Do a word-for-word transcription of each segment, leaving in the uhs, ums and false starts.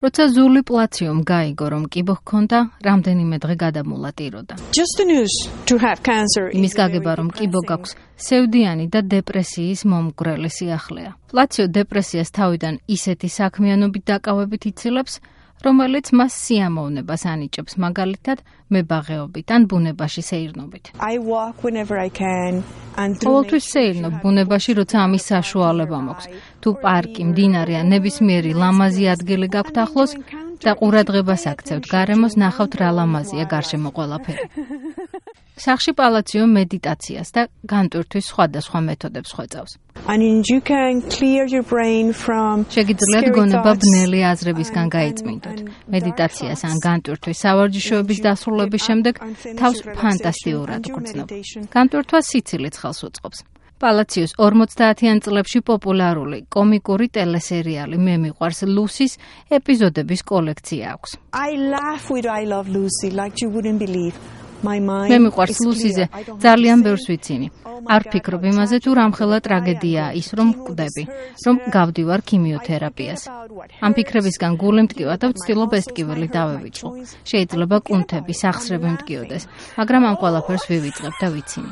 როცა ზული პლაციომ გაიგო, რომ კიბო ჰქონდა, რამდენიმე დღე გადამულატიროდა. იმის გაგება, რომ კიბო გაქვს, სევდიანი და დეპრესიის მომგვრელი სიახლეა. პლაციო დეპრესიას თავიდან ისეთი საქმიანობით დაკავებით იცილებს, რომელიც მას სიამოვნებას ანიჭებს, მაგალითად, მებაღეობით ან ბუნებაში სეირნობით. ყოველთვის სეირნობ ბუნებაში, როცა ამის საშუალება მაქვს. თუ პარკი, მდინარე ან ნებისმიერი ლამაზი ადგილი გაქვთ ახლოს და ყურადღებას აქცევთ გარემოს, ნახავთ რა ლამაზია გარშემო ყველაფერი. სახში პალაციო მედიტაციას და განტვირთვის სხვადასხვა მეთოდებს ხვეწავს. შეგიძლიათ გონება ბნელი აზრებისგან გაიწმინდოთ. მედიტაციას ან განტვირთვის სავარჯიშოების დასრულების შემდეგ თავს ფანტასტიურად გრძნობ. განტვირთვა სიცილით ხელს უწყობს. პალაციოს ორმოცდაათიან წლებში პოპულარული კომიკური ტელესერიალი „მე მიყვარს ლუსის“ ეპიზოდების კოლექცია აქვს. მე მიყვარს ლუსიზე ძალიან ბევრს ვიცინი. არ ვფიქრობ იმაზე, თუ რამხელა ტრაგედიაა ის, რომ ვკვდები, რომ გავდივარ ქიმიოთერაპიას. ამ ფიქრებისგან გული მტკივა და ვცდილობ ეს ტკივილი დავევიწყო. შეიძლება კუნთები, სახსრები მტკიოდეს, მაგრამ ამ ყველაფერს ვივიწყებ და ვიცინი.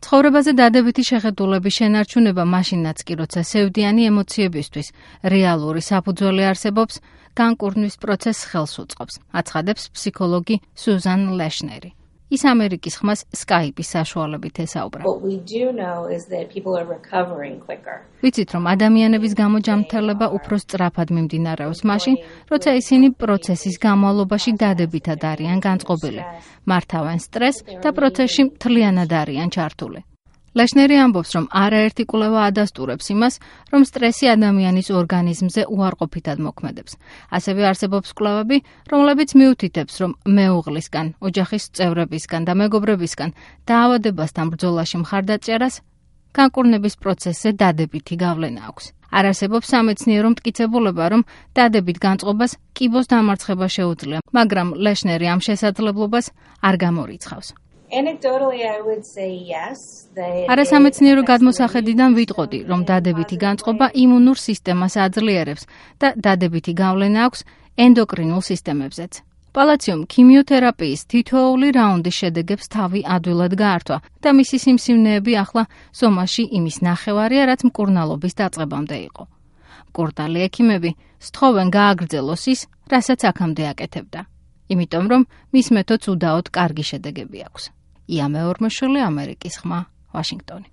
ცხოვრებაზე დადებითი შეხედულების შენარჩუნება მაშინაც კი, როცა სევდიანი ემოციებისთვის რეალური საფუძველი არსებობს, განკურნვის პროცესს ხელს უწყობს, აცხადებს ფსიქოლოგი სუზან ლეშნერი. ის ამერიკის ხმას სკაიპის საშუალებით ესაუბრა. ვიცით, რომ ადამიანების გამოჯამრთელება უფრო სწრაფად მიმდინარეობს მაშინ, როცა ისინი პროცესის განმავლობაში დადებითად არიან განწყობილი, მართავენ სტრესს და პროცესში მთლიანად არიან ჩართული. ლეშნერი ამბობს, რომ არაერთი კვლევა ადასტურებს იმას, რომ სტრესი ადამიანის ორგანიზმზე უარყოფითად მოქმედებს. ასევე არსებობს კვლევები, რომლებიც მიუთითებს, რომ მეუღლისგან, ოჯახის წევრებისგან და მეგობრებისგან დაავადებასთან ბრძოლაში მხარდაჭერას განკურნების პროცესზე დადებითი გავლენა აქვს. არ არსებობს სამეცნიერო მტკიცებულება, რომ დადებით განწყობას კიბოს დამარცხება შეუძლია, მაგრამ ლეშნერი ამ შესაძლებლობას არ გამორიცხავს. არასამეცნიერო გადმოსახედიდან ვიტყოდი, რომ დადებითი განწყობა იმუნურ სისტემას აძლიერებს და დადებითი გავლენა აქვს ენდოკრინულ სისტემებზეც. პალაციომ ქიმიოთერაპიის თითოეული რაუნდის შედეგებს თავი ადვილად გაართვა და მისი სიმსივნეები ახლა სომაში იმის ნახევარია, რაც მკურნალობის დაწყებამდე იყო. მკურნალი ექიმები სთხოვენ გააგრძელოს ის, რასაც აქამდე აკეთებდა. იმიტომ რომ მის მეთოდს უდაოდ კარგი შედეგები აქვს. ია მეორმოშვილი, ამერიკის ხმა, ვაშინგტონი.